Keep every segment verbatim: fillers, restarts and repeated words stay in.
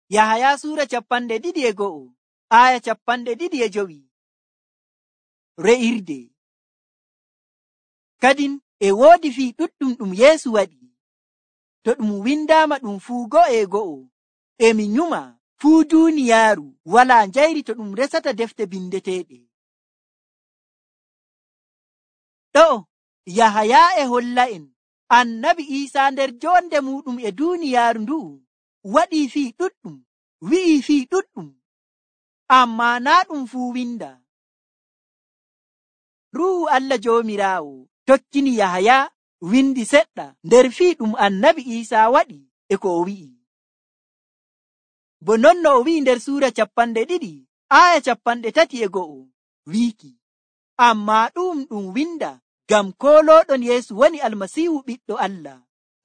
Yahaya suura capanɗe ɗiɗi e go'o aya capanɗe ɗiɗi e jowi. Re'irde. Kadin e woodi fii ɗuɗɗum ɗum Yeesu waɗi. To ɗum windaama ɗum fuu go'o e go'o, emi nyuma fuu duuniyaaru walaa njayri to ɗum resata defte bindeteeɗe. Ɗo Yahaya e holla en annabi Iisaa nder jonde muɗum e duuniyaaru ndu'u waɗii fii ɗuɗɗum, wi'ii fii ɗuɗɗum, ammaa naa ɗum fuu winda. Ruuhu Allah Joomiraawo tokkini Yahaya windi seɗɗa nder fii ɗum annabi Iisaa waɗi e ko o wi'i. Bo non no o wi'i nder suura capanɗe ɗiɗi aya capanɗe tati e go'o wiiki, ammaa ɗum ɗum winda ngam koolooɗon Yeesu woni Almasiihu ɓiɗɗo Allah,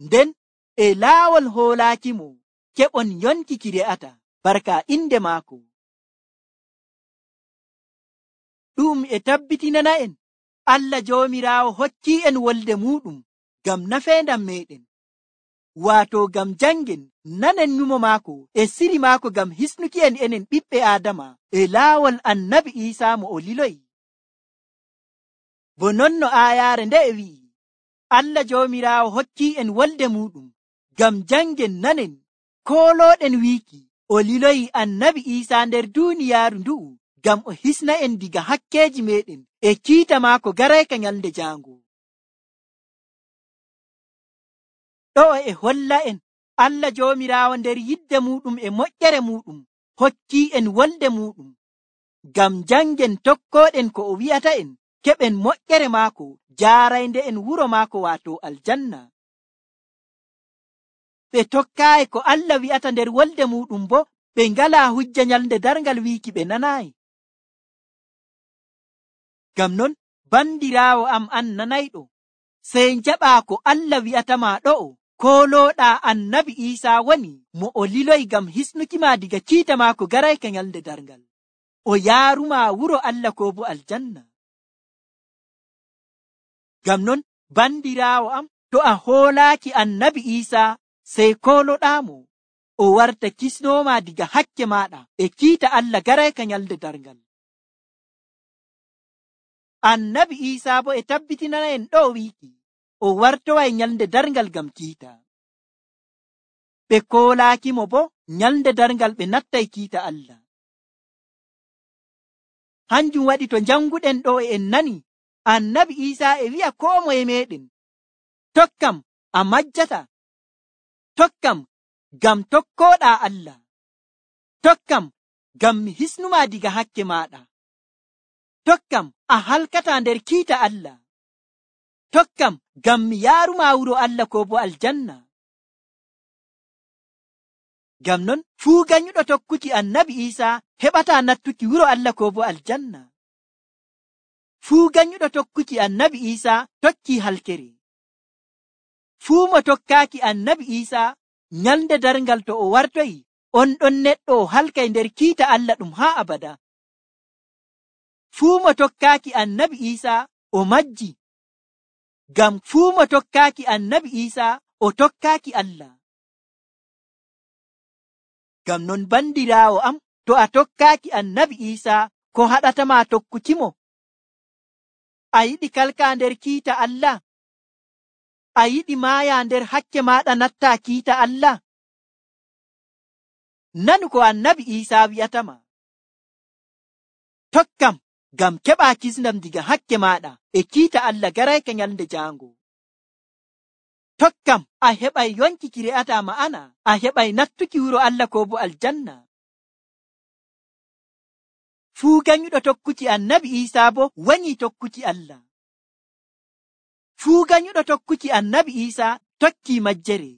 nden e laawol hoolaakimo keɓon yonki ki re'ata barka inde maako. Ɗum e tabbitinana en Allah Joomiraawo hokkii en wolde muɗum ngam nafeendam meɗen, waato ngam jangen nanen nyumo maako e siri maako ngam hisnuki en enen ɓiɓɓe Aadama e laawol annabi Iisaa mo o liloyi. Bo non no aayaare nde e wi'i, Allah Joomiraawo hokkii en wolde muɗum ngam jangen nanen koolooɗen wiiki o liloyi annabi Iisaa nder duuniyaaru ndu'u ngam o hisna en diga hakkeeji meɗen e kiita maako garayka nyalde jaango. Ɗo e holla en Allah Joomiraawo nder yidde muɗum e moƴƴere muɗum hokkii en wolde muɗum ngam jangen tokkooɗen ko o wi'ata en keɓen moƴƴere maako jaaraynde en wuro maako waato aljanna. Ɓe tokkaayi ko Allah wi'ata nder wolde muɗum bo ɓe ngalaa hujja nyalde darngal wiiki ɓe nanaayi. Ngam non bandiraawo am an nanayɗo, sey njaɓaa ko Allah wi'atama ɗo'o, koolooɗaa annabi Iisaa woni mo o liloyi ngam hisnukima diga kiita maako garayka nyalde darngal, o yaaruma wuro Allah ko bo aljanna. Ngam non bandiraawo am, to a hoolaaki annabi Iisaa sey kooloɗaamo, o warta kisnooma diga hakke maɗa e kiita Allah garayka nyalde darngal. Annabi Iisaa bo e tabbitinana en ɗo wiiki o wartoway nyalde darngal ngam kiita. Ɓe koolaakimo bo nyalde darngal ɓe nattay kiita Allah. Hanjum waɗi to janguɗen ɗo e en nani annabi Iisaa e wi'a koo moye meɗen, tokkam a majjata, tokkam ngam tokkooɗaa Allah, tokkam ngam mi hisnuma diga hakke maɗa, tokkam a halkata nder kiita Allah, tokkam ngam mi yaaruma wuro Allah ko bo aljanna. Ngam non fuu ganyuɗo tokkuki annabi Iisaa heɓata nattuki wuro Allah ko bo aljanna. Fuu ganyuɗo tokkuki annabi Iisaa tokki halkere. Fuu mo tokkaaki annabi Iisaa nyalde darngal to o wartoyi, on ɗon neɗɗo o halkay nder kiita Allah ɗum haa abada. Fuu mo tokkaaki annabi Iisaa o majji, ngam fuu mo tokkaaki annabi Iisaa o tokkaaki Allah. Ngam non bandiraawo am, to a tokkaaki annabi Iisaa ko haɗatama tokkukimo? A yiɗi kalka nder kiita Allah? A yiɗi maaya nder hakke maɗa natta kiita Allah? Nanu ko annabi Iisaa wi'atama. Tokkam ngam keɓa kisndam diga hakke maɗa e kiita Allah garayka nyalde jaango. Tokkam a heɓay yonki ki re'ata ma'ana, a heɓay nattuki wuro Allah ko bo aljanna. Fuu ganyuɗo tokkuki annabi Iisaa bo wani tokkuki Allah. Fuu ganyuɗo tokkuki annabi Iisaa tokki majjere.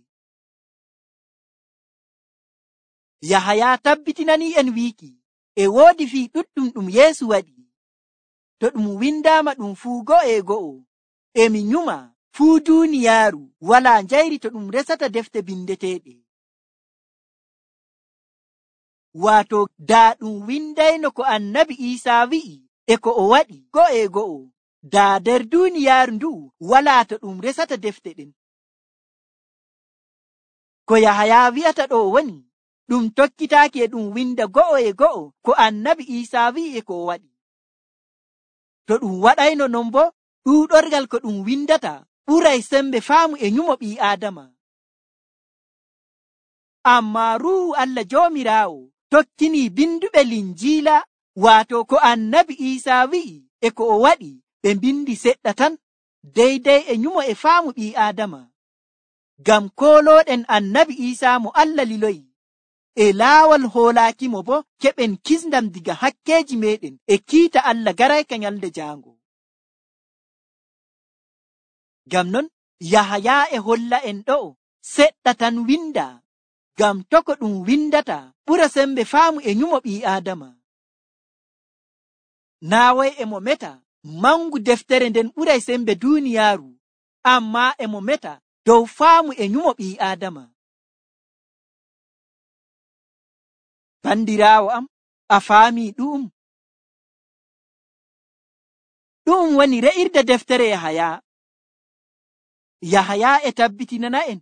Yahaya tabbitinani en wiiki e woodi fii ɗuɗɗum ɗum Yeesu waɗi. To ɗum windaama ɗum fuu go'o e go'o, emi nyuma fuu duuniyaaru walaa njayri to ɗum resata defte bindeteeɗe. Waato daa ɗum windayno ko annabi Iisaa wi'i e ko o waɗi go'o e go'o, daa nder duuniyaaru ndu'u walaa to ɗum resata defte ɗen. Ko Yahaya wi'ata ɗo woni, ɗum tokkitaaki e ɗum winda go'o e go'o ko annabi Iisaa wi'i e ko o waɗi. To ɗum waɗayno non bo, ɗuuɗorgal ko ɗum windata ɓuray sembe faamu e nyumo ɓii Aadama. Ammaa Ruuhu Allah Joomiraawo tokkinii binduɓe Linjiila, waato ko annabi Iisaa wi'i e ko o waɗi, ɓe mbindi seɗɗa tan deydey e nyumo e faamu ɓii Aadama. Ngam koolooɗen annabi Iisaa mo Allah liloyi, e laawol hoolaakimo bo keɓen kisndam diga hakkeeji meeɗen e kiita Allah garayka nyalde jaango. Ngam non Yahaya e holla en ɗo'o seɗɗa tan winda, ngam to ko ɗum windata ɓura sembe faamu e nyumo ɓii Aadama. Naaway e mo meta mangu deftere nden ɓuray sembe duuniyaaru, ammaa e mo meta dow faamu e nyumo ɓii Aadama. Bandiraawo am, a faamii ɗu'um? Ɗum woni re'irde deftere Yahaya. Yahaya e tabbitinana en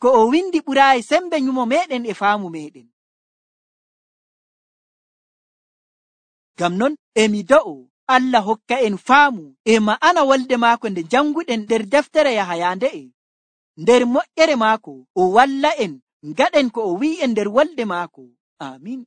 ko o windi ɓuraayi sembe nyumo meeɗen e faamu meeɗen. Ngam non emi do'o Allah hokka en faamu e ma'ana wolde maako nde janguɗen nder deftere Yahaya nde'e. Nder moƴƴere maako o walla en ngaɗen ko o wi'i en nder wolde maako. Amin.